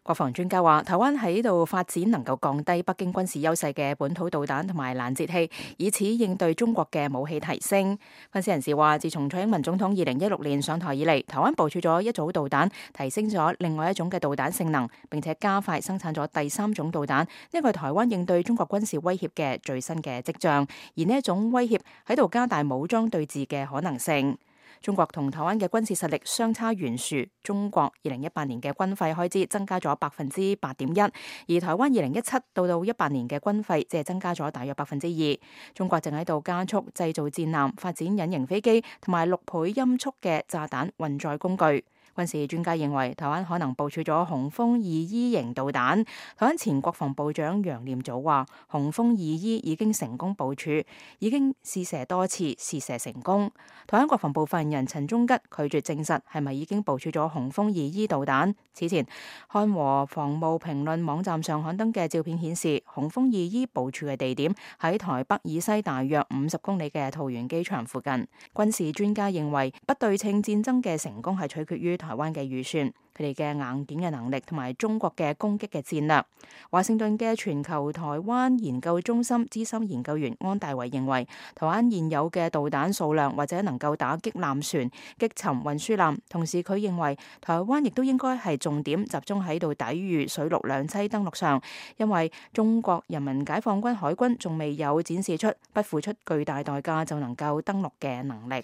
國防專家話，台灣喺度發展能夠降低北京軍事優勢嘅本土導彈同埋攔截器，以此應對中國嘅武器提升。分析人士話，自從蔡英文總統2016年上台以嚟，台灣部署咗一組導彈，提升咗另外一種嘅導彈性能，並且加快生產咗第三種導彈。呢個係台灣應對中國軍事威脅嘅最新嘅跡象，而呢一種威脅喺度加大武裝對峙嘅可能性。中國同台灣嘅軍事實力相差懸殊，中國2018年嘅軍費開支增加咗8.1%，而台灣2017到18年嘅軍費只係增加咗大約2%。中國正喺度加速製造戰艦、發展隱形飛機同埋6倍音速嘅炸彈運載工具。軍事專家認為，台灣可能部署咗雄風2E型導彈。台灣前國防部長楊念祖話，雄風2E已經成功部署，已經試射多次，試射成功。台灣國防部發言人陳忠吉拒絕證實係咪已經部署咗雄風2E導彈。此前，漢和防務評論網站上刊登嘅照片顯示，雄風2E部署嘅地點喺台北以西大約50公里嘅桃園機場附近。軍事專家認為，不對稱戰爭嘅成功係取決於台灣嘅預算、佢哋嘅硬件嘅能力同埋中國嘅攻擊嘅戰略。華盛頓嘅全球台灣研究中心資深研究員安大維認為，台灣現有嘅導彈數量或者能夠打擊艦船、擊沉運輸艦。同時，佢認為台灣亦都應該係重點集中喺度抵禦水陸兩棲登陸上，因為中國人民解放軍海軍仲未有展示出不付出巨大代價就能夠登陸嘅能力。